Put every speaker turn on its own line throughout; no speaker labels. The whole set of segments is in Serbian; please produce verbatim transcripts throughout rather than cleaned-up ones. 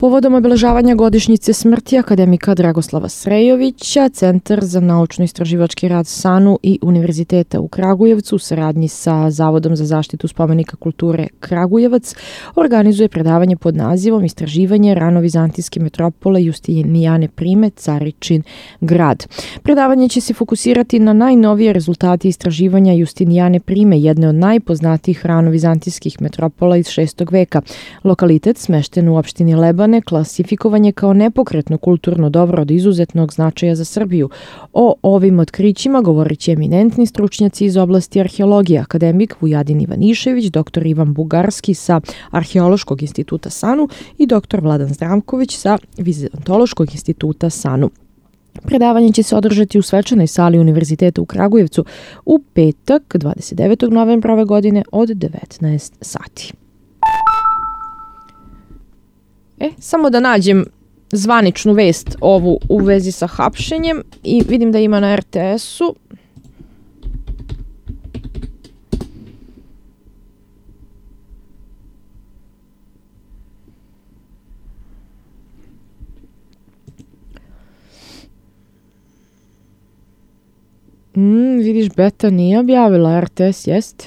Povodom obeležavanja godišnjice smrti akademika Dragoslava Srejovića, Centar za naučno-istraživački rad SANU i Univerziteta u Kragujevcu u saradnji sa Zavodom za zaštitu spomenika kulture Kragujevac organizuje predavanje pod nazivom Istraživanje rano-vizantijske metropole Justinijane Prime, Caričin grad. Predavanje će se fokusirati na najnovije rezultate istraživanja Justinijane Prime, jedne od najpoznatijih rano-vizantijskih metropola iz šestog veka. Lokalitet smešten u opštini Lebane klasifikovan je kao nepokretno kulturno dobro od izuzetnog značaja za Srbiju. O ovim otkrićima govorit će eminentni stručnjaci iz oblasti arheologije, akademik Vujadin Ivanišević, doktor Ivan Bugarski sa Arheološkog instituta SANU i doktor Vladan Zdravković sa Vizantološkog instituta SANU. Predavanje će se održati u svečanoj sali Univerziteta u Kragujevcu u petak, dvadeset devetog novembra ove godine od devetnaest sati. E, samo da nađem zvaničnu vest ovu u vezi sa hapšenjem i vidim da ima na er te esu. Mm, vidiš, Beta nije objavila, er te es jeste.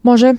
Može.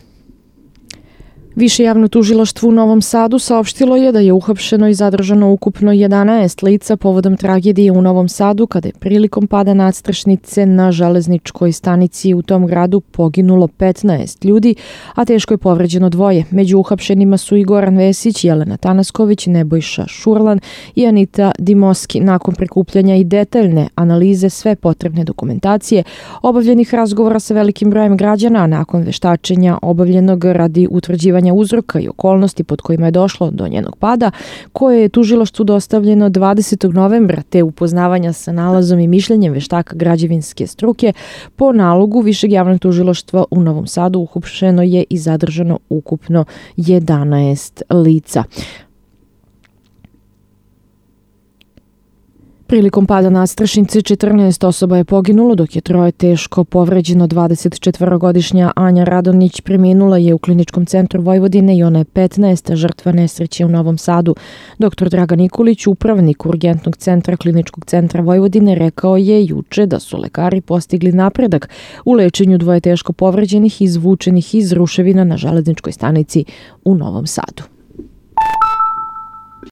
Više javno tužilaštvo u Novom Sadu saopštilo je da je uhapšeno i zadržano ukupno jedanaest lica povodom tragedije u Novom Sadu kada je prilikom pada nadstrešnice na železničkoj stanici u tom gradu poginulo petnaest ljudi, a teško je povređeno dvoje. Među uhapšenima su i Goran Vesić, Jelena Tanasković, Nebojša Šurlan i Anita Dimoski. Nakon prikupljanja i detaljne analize sve potrebne dokumentacije, obavljenih razgovora sa velikim brojem građana, a nakon veštačenja obavljenog radi utvrđivanja uzroka i okolnosti pod kojima je došlo do njenog pada, koje je tužilaštvu dostavljeno dvadesetog novembra, te upoznavanja sa nalazom i mišljenjem veštaka građevinske struke, po nalogu Višeg javnog tužilaštva u Novom Sadu uhapšeno je i zadržano ukupno jedanaest lica. Prilikom pada nadstrešnice četrnaest osoba je poginulo, dok je troje teško povređeno. dvadesetčetvorogodišnja Anja Radonić preminula je u Kliničkom centru Vojvodine i ona je petnaesta žrtva nesreće u Novom Sadu. Doktor Dragan Nikolić, upravnik Urgentnog centra Kliničkog centra Vojvodine, rekao je juče da su lekari postigli napredak u lečenju dvoje teško povređenih i izvučenih iz ruševina na železničkoj stanici u Novom Sadu.